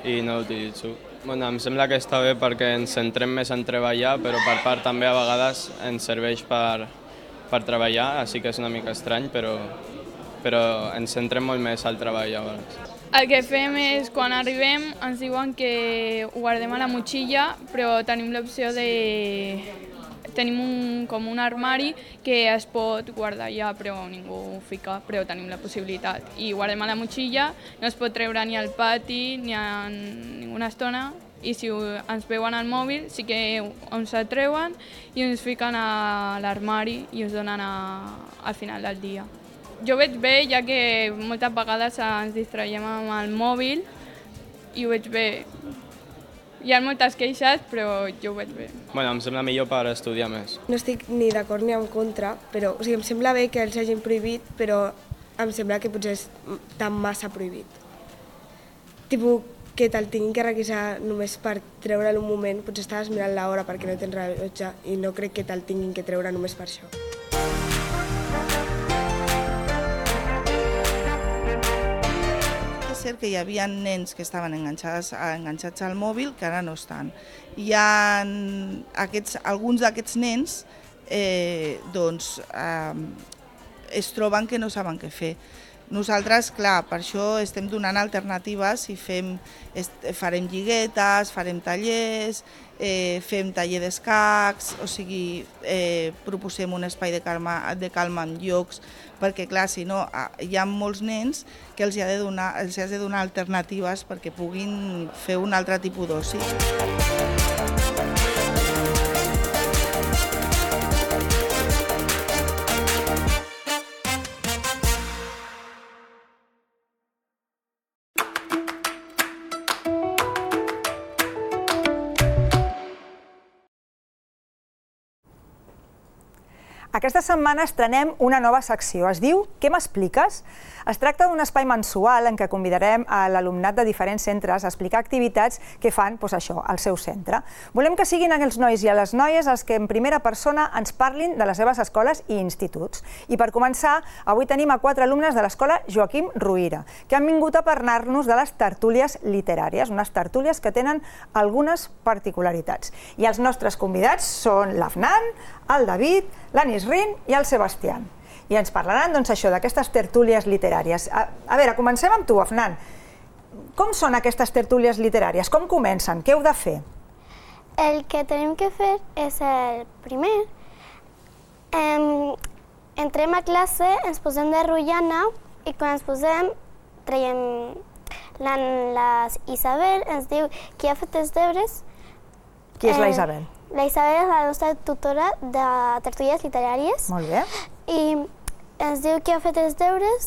i no l'utilitzo. Bueno, em sembla que està bé perquè ens centrem més en treballar, però per part també a vegades ens serveix per, per treballar, així que és una mica estrany, però, però ens centrem molt més al treball a vegades. El que fem és, quan arribem, ens diuen que ho guardem a la motxilla, però tenim l'opció de... Tenim un, com un armari que es pot guardar allà, però ningú ho fica, però tenim la possibilitat. I guardem a la motxilla, no es pot treure ni al pati ni en ninguna estona, i si ens veuen al mòbil sí que ens el treuen i ens fiquen a l'armari i ens donen a, al final del dia. Jo ho veig bé, ja que moltes vegades ens distraiem amb el mòbil i ho veig bé. Hi ha moltes queixes, però jo ho veig bé. Bueno, em sembla millor per estudiar més. No estic ni d'acord ni en contra, però o sigui, em sembla bé que els hagin prohibit, però em sembla que potser és tan massa prohibit. Tipo, que te'l tinguin que requisar només per treure'l un moment, potser estaves mirant l'hora perquè no tens rellotge i no crec que te'l tinguin que treure només per això. És cert que hi havia nens que estaven enganxats, enganxats al mòbil que ara no estan. Hi ha aquests, alguns d'aquests nens eh, doncs, eh, es troben que no saben què fer. Nosaltres, clar, per això estem donant alternatives i fem, farem lliguetes, farem tallers, eh, fem taller d'escacs, o sigui, eh, proposem un espai de calma, de calma en llocs, perquè clar, si no, hi ha molts nens que els, ha de donar, els has de donar alternatives perquè puguin fer un altre tipus d'oci. Aquesta setmana estrenem una nova secció. Es diu Què m'expliques? Es tracta d'un espai mensual en què convidarem a l'alumnat de diferents centres a explicar activitats que fan doncs això, al seu centre. Volem que siguin els nois i les noies els que en primera persona ens parlin de les seves escoles i instituts. I per començar, avui tenim a quatre alumnes de l'escola Joaquim Ruyra, que han vingut a parlar-nos de les tertúlies literàries, unes tertúlies que tenen algunes particularitats. I els nostres convidats són l'Afnan, el David, l'Anisrin i el Sebastián. I ens parlaran doncs, això d'aquestes tertúlies literàries. A, a veure, comencem amb tu, Afnan. Com són aquestes tertúlies literàries? Com comencen? Què heu de fer? El que tenim que fer és el primer. Eh, entrem a classe, ens posem de rotllana i quan ens posem traiem la, la Isabel, ens diu qui ha fet els deures. Qui és la Isabel? Eh, la Isabel és la nostra tutora de tertúlies literàries. Molt bé. I ens diu qui ha fet els deures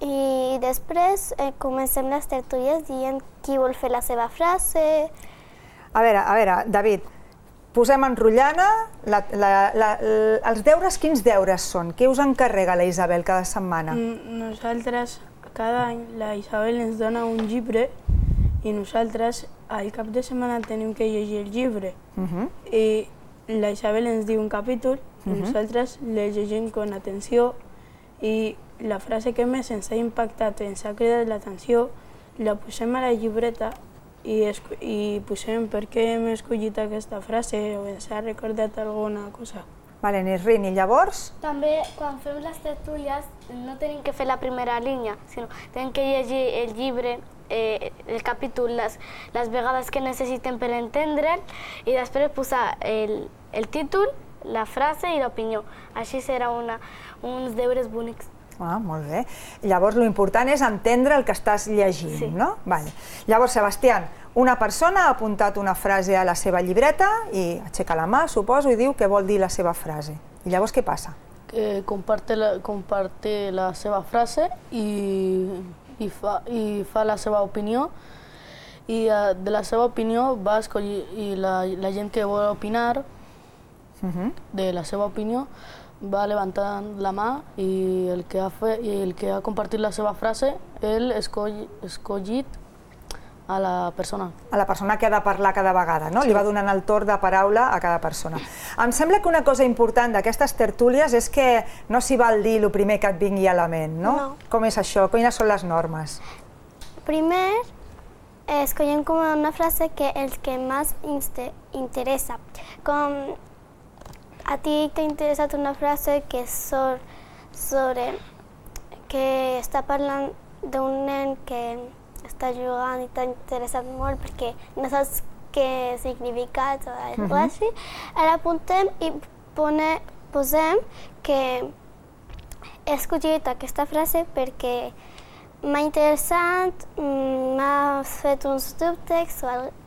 i després eh, comencem les tertúlies dient qui vol fer la seva frase. A veure, a veure, David, posem en rotllana, els deures, quins deures són? Què us encarrega la Isabel cada setmana? Nosaltres, cada any, la Isabel ens dona un llibre i nosaltres al cap de setmana tenim que llegir el llibre. I la Isabel ens diu un capítol i nosaltres el llegim amb atenció i la frase que més ens ha impactat, ens ha cridat l'atenció, la posem a la llibreta i posem per què hem escollit aquesta frase o ens ha recordat alguna cosa. Vale, Nisrin, i llavors? També, quan fem les tertúlies, no tenim que fer la primera línia, sinó tenim que llegir el llibre, el capítol, les vegades que necessitem per entendre'l i després posar el títol, la frase i l'opinió. Així serà uns deures bonics. Ah, molt bé. Llavors, l'important és entendre el que estàs llegint, no? Llavors, Sebastián, una persona ha apuntat una frase a la seva llibreta i aixeca la mà, suposo, i diu què vol dir la seva frase. I llavors què passa? Comparte la seva frase i fa la seva opinió i de la seva opinió va escollir i la gent que vol opinar de la seva opinió va levantant la mà i el que ha, fet, i el que ha compartit la seva frase, ell escollit a la persona. A la persona que ha de parlar cada vegada, no? Li va donant el torn de paraula a cada persona. Em sembla que una cosa important d'aquestes tertúlies és que no s'hi val dir el primer que et vingui a la ment, no? No. Com és això? Quines són les normes? Primer, escollem com una frase que el que més ens interessa. Com a ti t'ha interessat una frase que és sobre que està parlant d'un nen que està jugant i t'ha interessat molt perquè no saps què significa o alguna cosa així. Ara apuntem i posem que he escollit aquesta frase perquè m'ha interessat, m'ha fet uns dubtes o alguna cosa.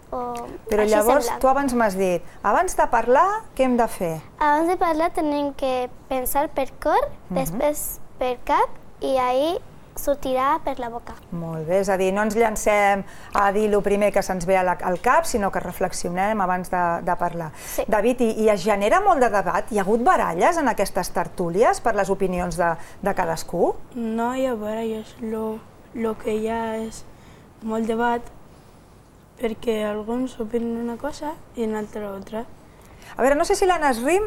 Però llavors, tu abans m'has dit, abans de parlar, què hem de fer? Abans de parlar tenim que pensar per cor, després per cap i ahir sortirà per la boca. Molt bé, és a dir, no ens llancem a dir el primer que se'ns ve al cap, sinó que reflexionem abans de parlar. David, i es genera molt de debat? Hi ha hagut baralles en aquestes tertúlies per les opinions de cadascú? No hi ha baralles, el que hi ha és molt debat, perquè alguns opinen una cosa i una altra altra. A veure, no sé si la Nisrin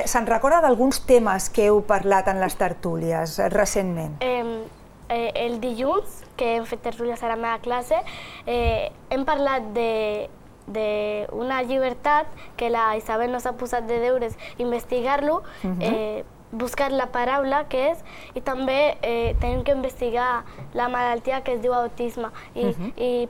se'n recorda d'alguns temes que heu parlat en les tertúlies recentment. El dilluns, que hem fet tertúlies a la meva classe, hem parlat d'una llibertat que la Isabel nos ha posat de deures investigar-lo, buscar la paraula que és, i també tenim que investigar la malaltia que es diu autisme. I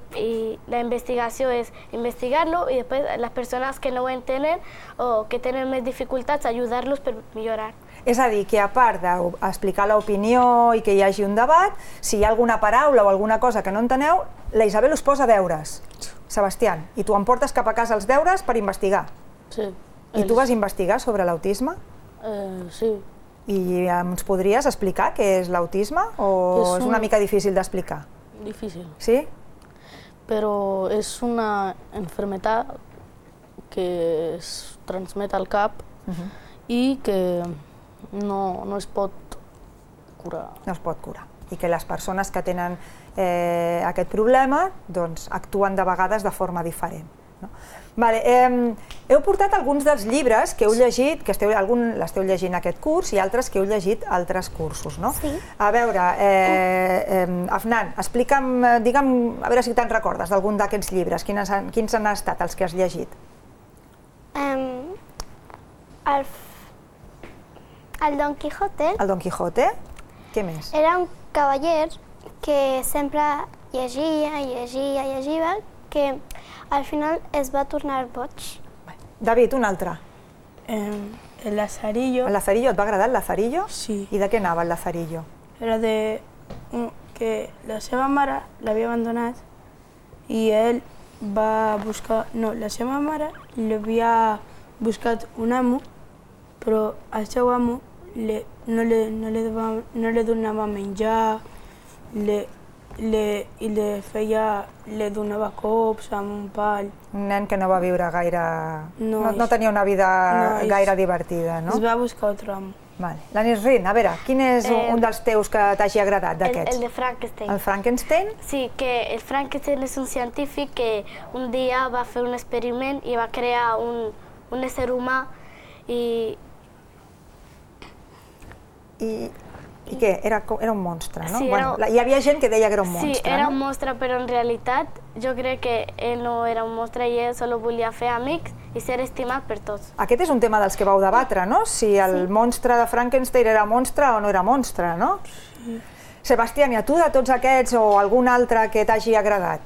la investigació és investigar-lo i després les persones que no ho entenen o que tenen més dificultats, ajudar-los per millorar. És a dir, que a part d'explicar l'opinió i que hi hagi un debat, si hi ha alguna paraula o alguna cosa que no enteneu, la Isabel us posa deures. Sebastián, i tu em portes cap a casa els deures per investigar. Sí. I tu vas investigar sobre l'autisme? Sí. I ens podries explicar què és l'autisme o és una mica difícil d'explicar? Difícil. Sí? Però és una enfermedad que es transmet al cap i que no es pot curar. No es pot curar. I que les persones que tenen aquest problema actuen de vegades de forma diferent. Heu portat alguns dels llibres que heu llegit, que l'esteu llegint aquest curs, i altres que heu llegit altres cursos, no? Sí. A veure, Afnan, explica'm, digue'm, a veure si te'n recordes d'algun d'aquests llibres, quins han estat els que has llegit? El Don Quijote. El Don Quijote? Què més? Era un cavaller que sempre llegia, llegia, llegia, que al final es va tornar boig. David, un altre. El Lazarillo. El Lazarillo, et va agradar el Lazarillo? Sí. I de què anava el Lazarillo? Era de que la seva mare l'havia abandonat i ell va buscar... No, la seva mare l'havia buscat un amo, però el seu amo no li donava menjar, le, i le feia, le donava cops amb un pal. Un nen que no va viure gaire... No, no, no tenia una vida no, gaire divertida, no? Es va buscar otro amo. Vale. La Nisrin, a veure, quin és Eh, un dels teus que t'hagi agradat El, d'aquests? el de Frankenstein. El Frankenstein? Sí, que el Frankenstein és un científic que un dia va fer un experiment i va crear un, un ésser humà i... I, i què? Era, co- era un monstre, no? Sí, bueno, era- la- hi havia gent que deia que era un Sí, monstre, era no? un monstre, però en realitat jo crec que ell no era un monstre i ell solo volia fer amics i ser estimat per tots. Aquest és un tema dels que vau debatre, no? Si el Sí. monstre de Frankenstein era monstre o no era monstre, no? Sí. Sebastián, i a tu de tots aquests o algun altre que t'hagi agradat?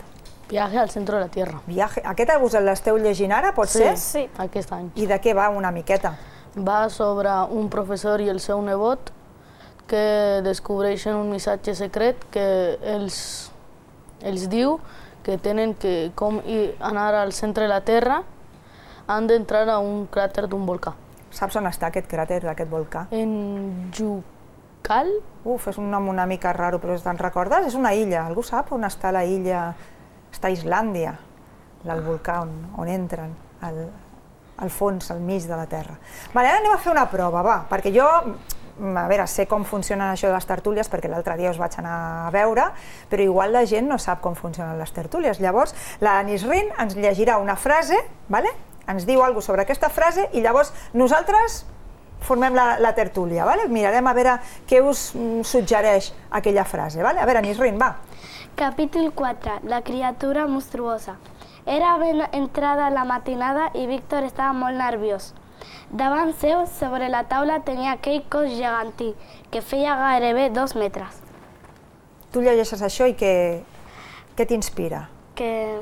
Viaje al centro de la Tierra. Viaje. Aquest us l'esteu llegint ara, pot ser? Sí, aquest any. I de què va una miqueta? Va sobre un professor i el seu nebot que descobreixen un missatge secret que els, els diu que tenen que, com i- anar al centre de la Terra, han d'entrar a un cràter d'un volcà. Saps on està aquest cràter d'aquest volcà? En Jucal? Uf, és un nom una mica raro, però te'n recordes? És una illa. Algú sap on està la illa? Està a Islàndia, el volcà on, on entren, al, al fons, al mig de la Terra. Vale, ara anem a fer una prova, va, perquè jo, a veure, sé com funcionen això de les tertúlies, perquè l'altre dia us vaig anar a veure, però igual la gent no sap com funcionen les tertúlies. Llavors, la Nisrin ens llegirà una frase, vale? Ens diu alguna cosa sobre aquesta frase i llavors nosaltres formem la, la tertúlia. Vale? Mirarem a veure què us mm, suggereix aquella frase. Vale? A veure, Nisrin, va. Capítol quatre. La criatura monstruosa. Era ben entrada la matinada i Víctor estava molt nerviós. Davant seu, sobre la taula, tenia aquell cos gegantí, que feia gairebé dos metres. Tu llegeixes això i què, què t'inspira? Que,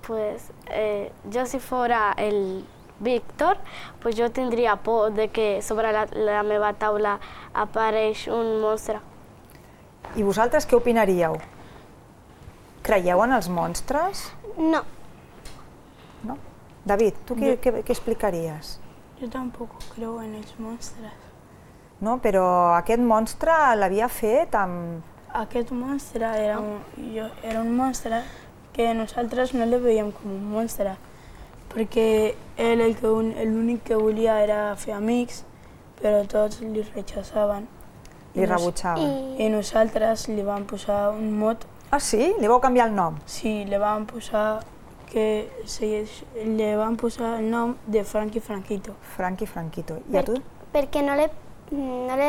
pues, eh, jo si fora el Víctor, pues jo tindria por de que sobre la, la meva taula apareix un monstre. I vosaltres què opinaríeu? Creieu en els monstres? No. No? David, tu què, Jo- què, què explicaries? Yo tampoco creo en els monstres. No, però aquest monstre l'havia fet amb... Aquest monstre era un, jo, era un monstre que nosaltres no le veiem com un monstre, perquè ell el que un- l'únic que volia era fer amics, però tots li rechaçaven. Li rebutjaven. I nosaltres li vam posar un mot. Ah, sí? Li vau canviar el nom? Sí, li vam posar que se, le van posar el nom de Frankie Franquito. Frankie Franquito. I a tu? Perquè no le, no le,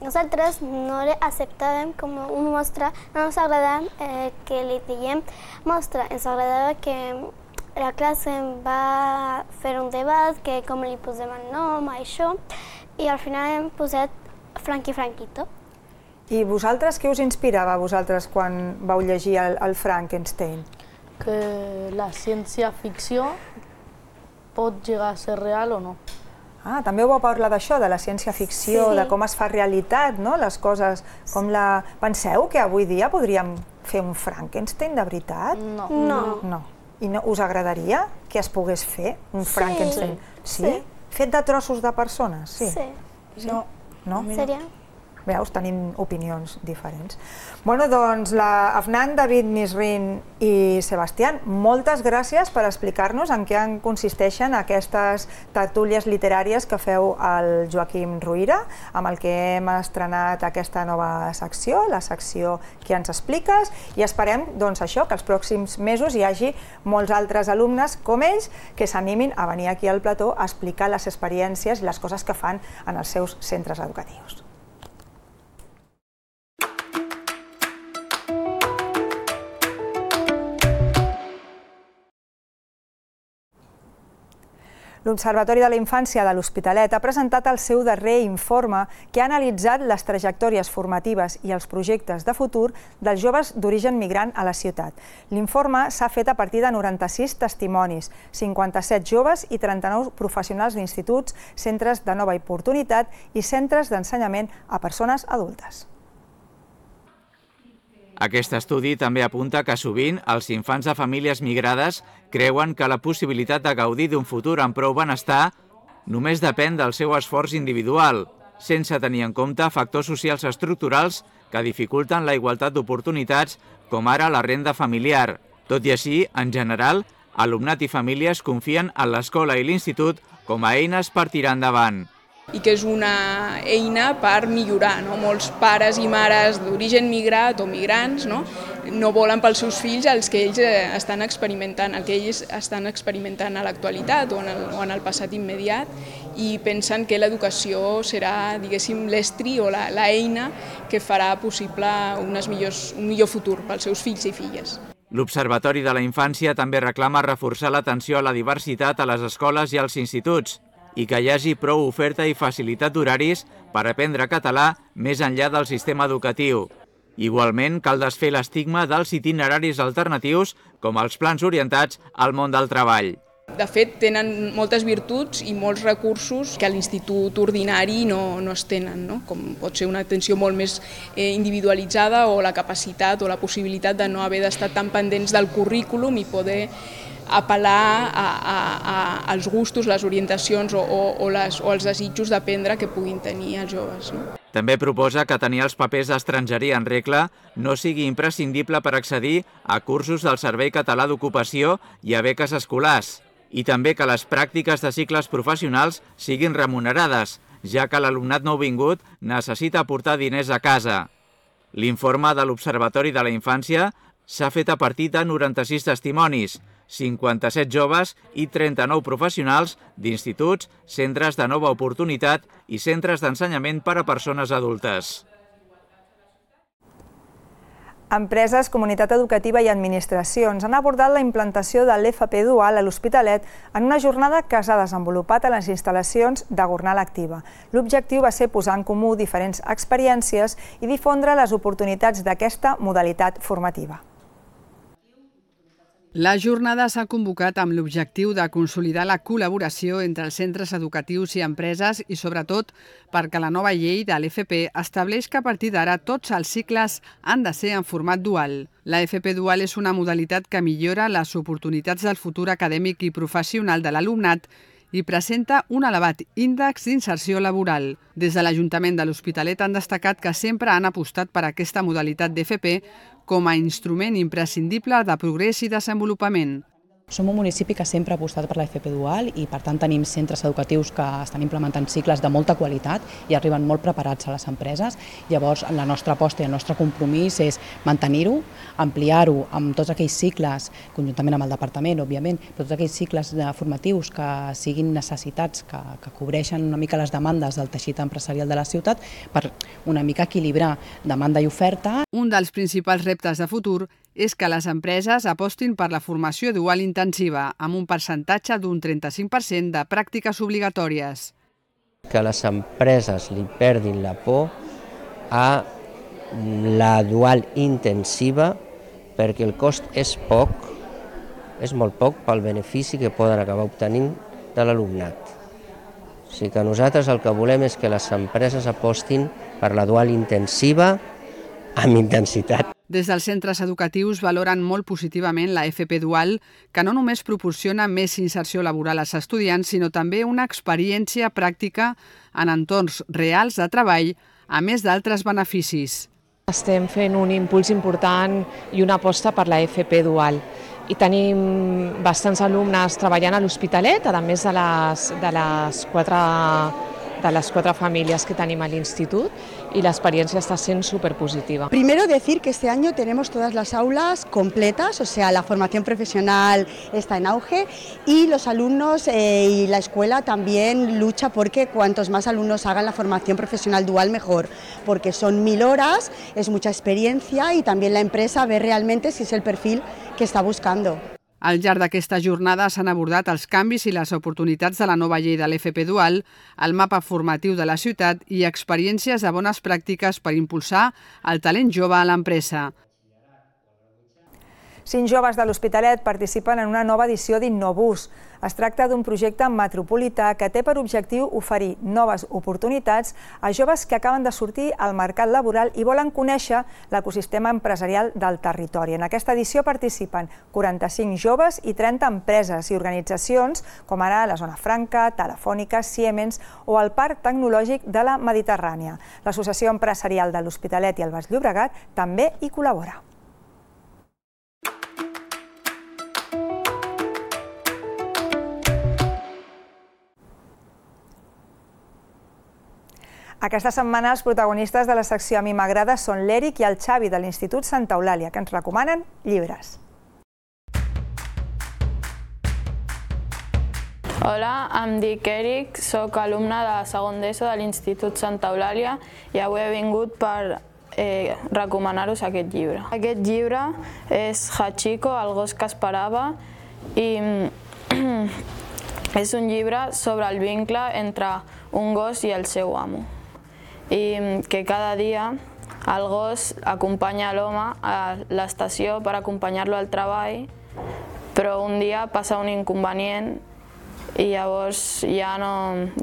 nosaltres no le acceptàvem com un monstre, no ens agradava eh, que li diguem monstre, ens agradava que la classe va fer un debat, que com li posem el nom, això, i al final hem posat Frankie Franquito. I vosaltres, què us inspirava a vosaltres quan vau llegir el, el Frankenstein? Que la ciència-ficció pot llegar a ser real o no. Ah, també ho vau parlar d'això, de la ciència-ficció, Sí. de com es fa realitat, no? Les coses, com la... Penseu que avui dia podríem fer un Frankenstein de veritat? No. No. No. I no, us agradaria que es pogués fer un Sí. Frankenstein? Sí. Sí? Fet de trossos de persones? Sí. Sí. No. No? Seria? Veus, tenim opinions diferents. Bueno, doncs, la Afnan, David, Nisrin i Sebastián, moltes gràcies per explicar-nos en què en consisteixen aquestes tertúlies literàries que feu al Joaquim Ruyra, amb el que hem estrenat aquesta nova secció, la secció que ens expliques, i esperem, doncs, això, que els pròxims mesos hi hagi molts altres alumnes com ells que s'animin a venir aquí al plató a explicar les experiències i les coses que fan en els seus centres educatius. L'Observatori de la Infància de l'Hospitalet ha presentat el seu darrer informe que ha analitzat les trajectòries formatives i els projectes de futur dels joves d'origen migrant a la ciutat. L'informe s'ha fet a partir de noranta-sis testimonis, cinquanta-set joves i trenta-nou professionals d'instituts, centres de nova oportunitat i centres d'ensenyament a persones adultes. Aquest estudi també apunta que sovint els infants de famílies migrades creuen que la possibilitat de gaudir d'un futur amb prou benestar només depèn del seu esforç individual sense tenir en compte factors socials estructurals que dificulten la igualtat d'oportunitats, com ara la renda familiar. Tot i així, en general, alumnat i famílies confien en l'escola i l'institut com a eines per tirar endavant. I que és una eina per millorar. No? Molts pares i mares d'origen migrat o migrants no? no volen pels seus fills els que ells estan experimentant, el que ells estan experimentant a l'actualitat o, en el, o en el passat immediat, i pensen que l'educació serà, diguéssim, l'estri o la, la eina que farà possible unes millors, un millor futur pels seus fills i filles. L'Observatori de la Infància també reclama reforçar l'atenció a la diversitat a les escoles i als instituts i que hi hagi prou oferta i facilitat d'horaris per aprendre català més enllà del sistema educatiu. Igualment, cal desfer l'estigma dels itineraris alternatius com els plans orientats al món del treball. De fet, tenen moltes virtuts i molts recursos que a l'institut ordinari no, no es tenen, no? Com pot ser una atenció molt més eh, individualitzada o la capacitat o la possibilitat de no haver d'estar tan pendents del currículum i poder apel·lar a, a, a, als gustos, les orientacions o, o, o, les, o els desitjos d'aprendre que puguin tenir els joves. No? També proposa que tenir els papers d'estrangeria en regla no sigui imprescindible per accedir a cursos del Servei Català d'Ocupació i a beques escolars, i també que les pràctiques de cicles professionals siguin remunerades, ja que l'alumnat nouvingut necessita aportar diners a casa. L'informe de l'Observatori de la Infància s'ha fet a partir de noranta-sis testimonis, cinquanta-set joves i trenta-nou professionals d'instituts, centres de nova oportunitat i centres d'ensenyament per a persones adultes. Empreses, comunitat educativa i administracions han abordat la implantació de l'E F P dual a l'Hospitalet en una jornada que s'ha desenvolupat a les instal·lacions de Gornal Activa. L'objectiu va ser posar en comú diferents experiències i difondre les oportunitats d'aquesta modalitat formativa. La jornada s'ha convocat amb l'objectiu de consolidar la col·laboració entre els centres educatius i empreses i, sobretot, perquè la nova llei de l'E F P estableix que a partir d'ara tots els cicles han de ser en format dual. La F P dual és una modalitat que millora les oportunitats del futur acadèmic i professional de l'alumnat i presenta un elevat índex d'inserció laboral. Des de l'Ajuntament de l'Hospitalet han destacat que sempre han apostat per aquesta modalitat d'F P com a instrument imprescindible de progrés i desenvolupament. Som un municipi que sempre ha apostat per la F P dual i, per tant, tenim centres educatius que estan implementant cicles de molta qualitat i arriben molt preparats a les empreses. Llavors, la nostra aposta i el nostre compromís és mantenir-ho, ampliar-ho amb tots aquells cicles, conjuntament amb el departament, òbviament, però tots aquells cicles formatius que siguin necessitats, que, que cobreixen una mica les demandes del teixit empresarial de la ciutat per una mica equilibrar demanda i oferta. Un dels principals reptes de futur és que les empreses apostin per la formació dual intensiva, amb un percentatge d'un trenta-cinc per cent de pràctiques obligatòries. Que les empreses li perdin la por a la dual intensiva perquè el cost és poc, és molt poc pel benefici que poden acabar obtenint de l'alumnat. O sigui que nosaltres el que volem és que les empreses apostin per la dual intensiva amb intensitat. Des dels centres educatius valoren molt positivament la F P dual, que no només proporciona més inserció laboral als estudiants, sinó també una experiència pràctica en entorns reals de treball, a més d'altres beneficis. Estem fent un impuls important i una aposta per la F P dual. I tenim bastants alumnes treballant a l'Hospitalet, a més de les, de les quatre de las cuatro familias que tenemos al instituto y la experiencia está siendo súper positiva. Primero decir que este año tenemos todas las aulas completas, o sea, la formación profesional está en auge y los alumnos eh, y la escuela también lucha porque cuantos más alumnos hagan la formación profesional dual mejor, porque son mil horas, es mucha experiencia y también la empresa ve realmente si es el perfil que está buscando. Al llarg d'aquesta jornada s'han abordat els canvis i les oportunitats de la nova llei de l'F P dual, el mapa formatiu de la ciutat i experiències de bones pràctiques per impulsar el talent jove a l'empresa. Cinc joves de l'Hospitalet participen en una nova edició d'Innobús. Es tracta d'un projecte metropolità que té per objectiu oferir noves oportunitats a joves que acaben de sortir al mercat laboral i volen conèixer l'ecosistema empresarial del territori. En aquesta edició participen quaranta-cinc joves i trenta empreses i organitzacions, com ara la Zona Franca, Telefònica, Siemens o el Parc Tecnològic de la Mediterrània. L'Associació Empresarial de l'Hospitalet i el Baix Llobregat també hi col·labora. Aquesta setmana els protagonistes de la secció A mi m'agrada són l'Eric i el Xavi de l'Institut Santa Eulàlia, que ens recomanen llibres. Hola, em dic Eric, soc alumne de segon d'ESO de l'Institut Santa Eulàlia i avui he vingut per eh, recomanar-vos aquest llibre. Aquest llibre és Hachiko, el gos que esperava, i és un llibre sobre el vincle entre un gos i el seu amo. I que cada dia el gos acompanya l'home a l'estació per acompanyar-lo al treball, però un dia passa un inconvenient i llavors ja no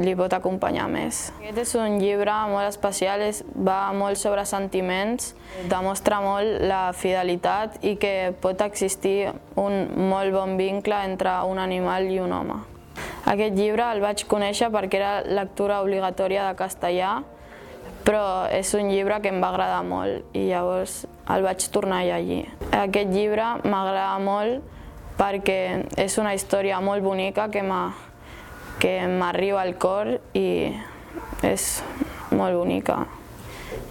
li pot acompanyar més. Aquest és un llibre molt especial, va molt sobre sentiments, demostra molt la fidelitat i que pot existir un molt bon vincle entre un animal i un home. Aquest llibre el vaig conèixer perquè era lectura obligatòria de castellà, però és un llibre que em va agradar molt i llavors el vaig tornar a llegir. Aquest llibre m'agrada molt perquè és una història molt bonica que m'arriba al cor i és molt bonica.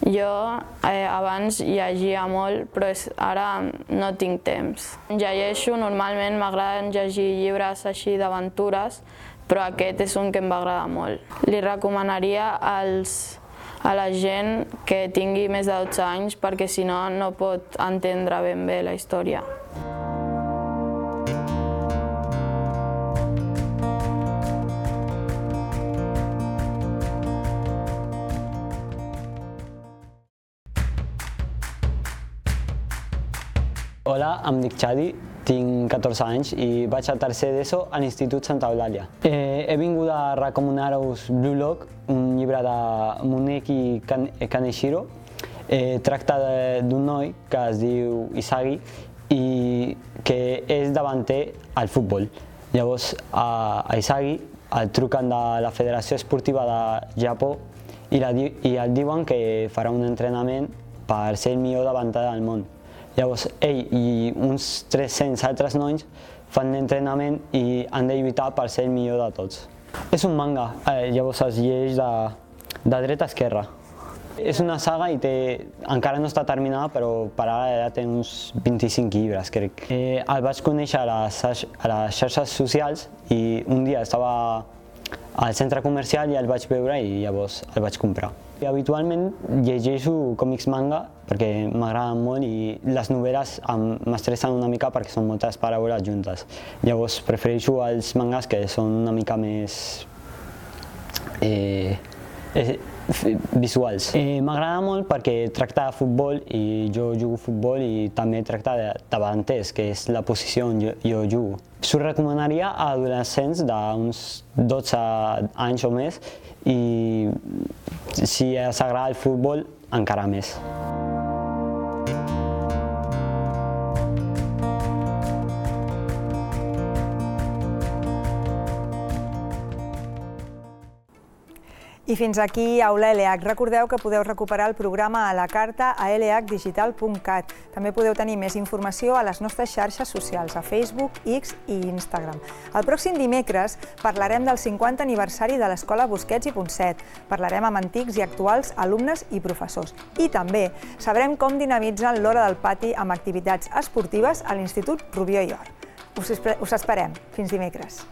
Jo eh, abans llegia molt, però és, ara no tinc temps. Llegeixo, normalment m'agraden llegir llibres així d'aventures, però aquest és un que em va agradar molt. Li recomanaria als a la gent que tingui més de dotze anys perquè si no, no pot entendre ben bé la història. Hola, em dic Xadi, tinc catorze anys i vaig a tercer d'ESO a l'Institut Santa Eulàlia. Eh, he vingut a recomanar-vos Blue Lock, un llibre de Muneki Kaneshiro. Eh, tracta d'un noi que es diu Isagi i que és davanter al futbol. Llavors, a, a Isagi el truquen de la Federació Esportiva de Japó i, la, i el diuen que farà un entrenament per ser el millor davanter del món. Llavors, ell i uns tres-cents altres nois fan l'entrenament i han de lluitar per ser el millor de tots. És un manga, eh, llavors es llegeix de, de dreta a esquerra. És una saga i té, encara no està terminada, però per ara ja té uns vint-i-cinc llibres, crec. Eh, el vaig conèixer a les, a les xarxes socials i un dia estava al centre comercial i el vaig veure i llavors el vaig comprar. Habitualment llegeixo còmics manga perquè m'agraden molt i les novel·les m'estressen una mica perquè són moltes paraules juntes. Llavors prefereixo els mangas que són una mica més eh, eh, visuals. Eh, M'agrada molt perquè tracta de futbol i jo jugo futbol i també tracta de davanters, que és la posició on jo, jo jugo. S'ho recomanaria a adolescents d'uns dotze anys o més i si els agrada el futbol, encara més. I fins aquí Aula L H. Recordeu que podeu recuperar el programa a la carta a l h digital punt cat. També podeu tenir més informació a les nostres xarxes socials, a Facebook, X i Instagram. El pròxim dimecres parlarem del cinquanta aniversari de l'Escola Busquets i Ponset. Parlarem amb antics i actuals alumnes i professors. I també sabrem com dinamitzen l'hora del pati amb activitats esportives a l'Institut Rubió i Or. Us esperem. Fins dimecres.